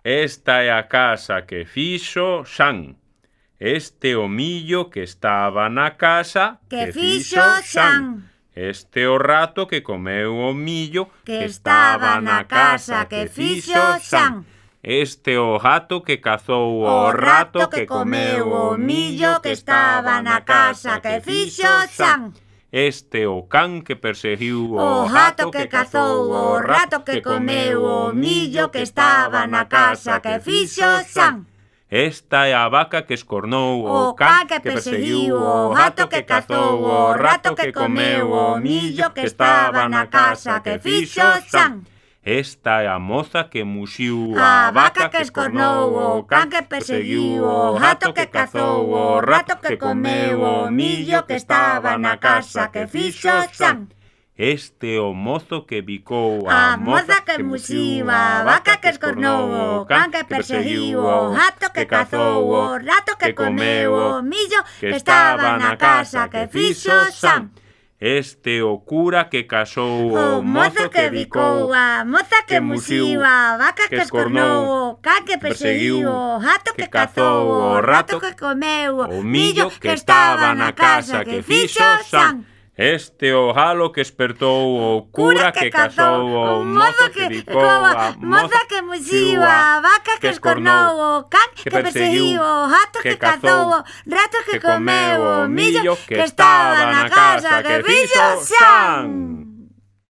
Esta é a casa que fixo Xan. Este o millo que estaba na casa que fixo Xan. Este o rato que comeu o millo que estaba na casa que fixo Xan. Este o gato que cazou o rato que comeu o millo que estaba na casa que fixo Xan. Este o can que perseguiu o gato que cazou o rato que comeu o millo que estaba na casa que fixo Xan. Esta é a vaca que escornou o can que perseguiu o gato que cazou o rato que comeu o millo que estaba na casa que fixo Xan. Esta é a moza que muxiu a vaca que escornou o can que perseguiu o gato que cazou o rato que comeu o millo que estaba na casa que fixo Xan. Este o mozo que bicou a moza que muxiu a vaca que escornou o can que perseguiu o gato que cazou o rato que comeu o millo que estaba na casa que fixo Xan. Este o cura que casou o mozo que bicou a moza que muxiu a vaca que escornou o can que perseguiu o gato que cazou o rato que comeu o millo que estaba na casa que fixo Xan. Este o galo que espertou o cura que casou o mozo que bicou a moza que muxiu a vaca que escornou o can que perseguiu o gato que cazou o rato que comeu o millo que estaba na casa que fixo Xan.